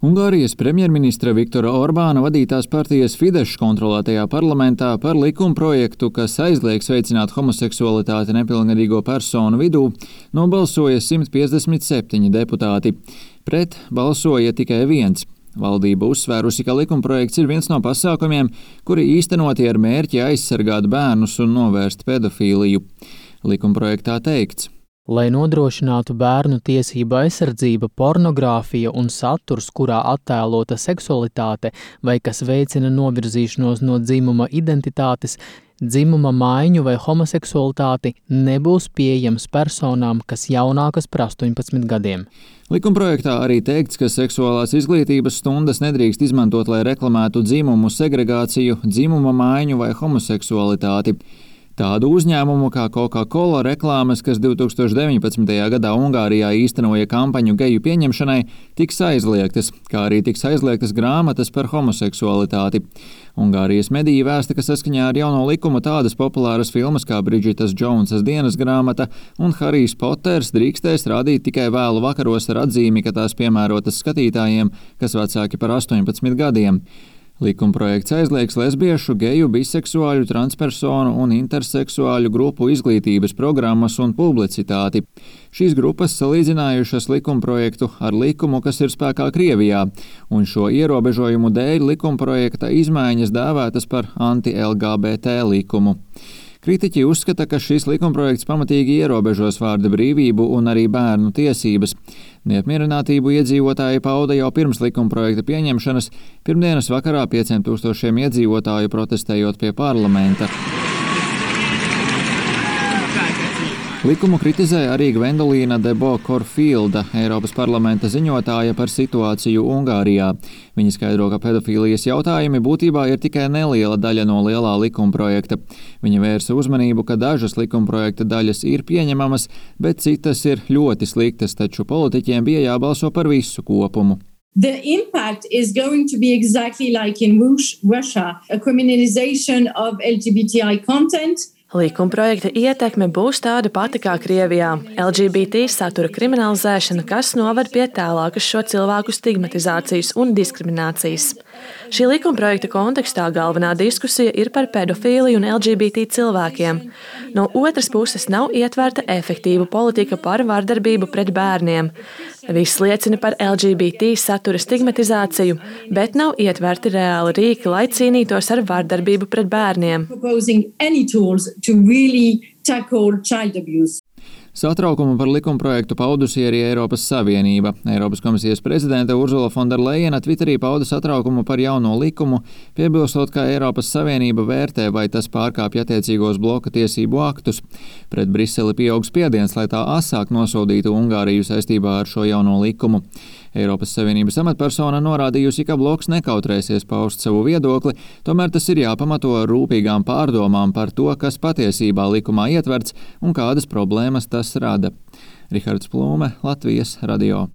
Ungārijas premjerministra Viktora Orbāna vadītās partijas Fidesz kontrolētajā parlamentā par likumprojektu, kas aizliegs veicināt homoseksualitāti nepilngadīgo personu vidū, nobalsoja 157 deputāti. Pret balsoja tikai viens. Valdība uzsvērusi, ka likumprojekts ir viens no pasākumiem, kuri īstenoti ar mērķi aizsargāt bērnus un novērst pedofīliju. Likumprojektā teikts: lai nodrošinātu bērnu tiesību aizsardzība, pornogrāfija un saturs, kurā attēlota seksualitāte vai kas veicina novirzīšanos no dzimuma identitātes, dzimuma maiņu vai homoseksualitāti, nebūs pieejams personām, kas jaunākas par 18 gadiem. Likumprojektā arī teikts, ka seksuālās izglītības stundas nedrīkst izmantot, lai reklamētu dzimumu segregāciju, dzimuma maiņu vai homoseksualitāti. Tādu uzņēmumu kā Coca-Cola reklāmas, kas 2019. gadā Ungārijā īstenoja kampaņu geju pieņemšanai, tiks aizliegtas, kā arī tiks aizliegtas grāmatas par homoseksualitāti. Ungārijas mediji vēsta, ka saskaņā ar jauno likumu tādas populāras filmas kā Bridžitas Džonsas dienas grāmata un Harijs Poters drīkstēs rādīt tikai vēlu vakaros ar atzīmi, ka tās piemērotas skatītājiem, kas vecāki par 18 gadiem. Likumprojekts aizliegs lesbiešu, geju, biseksuāļu, transpersonu un interseksuāļu grupu izglītības programmas un publicitāti. Šīs grupas salīdzinājušas likumprojektu ar likumu, kas ir spēkā Krievijā, un šo ierobežojumu dēļ likumprojekta izmaiņas dēvētas par anti-LGBT likumu. Kritiķi uzskata, ka šis likumprojekts pamatīgi ierobežos vārda brīvību un arī bērnu tiesības. Neapmierinātību iedzīvotāji pauda jau pirms likumprojekta pieņemšanas, pirmdienas vakarā 500 iedzīvotāju protestējot pie parlamenta. Likumu kritizē arī Gvendolīna Debo-Korfīlda, Eiropas parlamenta ziņotāja par situāciju Ungārijā. Viņa skaidro, ka pedofīlijas jautājumi būtībā ir tikai neliela daļa no lielā likumprojekta. Viņa vērsa uzmanību, ka dažas likumprojekta daļas ir pieņemamas, bet citas ir ļoti sliktas, taču politiķiem bija jābalso par visu kopumu. The impact is going to be exactly like in Russia, a criminalization of LGBTI content. Likumprojekta ietekme būs tāda pati kā Krievijā – LGBT satura kriminalizēšana, kas noved pie tālākas šo cilvēku stigmatizācijas un diskriminācijas. Šī likumprojekta kontekstā galvenā diskusija ir par pedofīliju un LGBT cilvēkiem. No otras puses nav ietverta efektīva politika par vardarbību pret bērniem. Viss liecina par LGBT satura stigmatizāciju, bet nav ietverti reāli rīki, lai cīnītos ar vardarbību pret bērniem. To really tackle child abuse. Satraukumu par likumprojektu paudusi arī Eiropas Savienība. Eiropas komisijas prezidente Ursula Fonderlejena Twitterī pauda satraukumu par jauno likumu, piebilstot, ka Eiropas Savienība vērtē, vai tas pārkāpj attiecīgos bloka tiesību aktus. Pret Briseli pieaug spiediens, lai tā asāk nosodītu Ungāriju saistībā ar šo jauno likumu. Eiropas Savienības amatpersona norādījusi, ka bloks nekautrēsies paust savu viedokli, tomēr tas ir jāpamato ar rūpīgām pārdomām par to, kas patiesībā likumā ietverts un kādas problēmas tas rada. Rihards Plūme, Latvijas radio.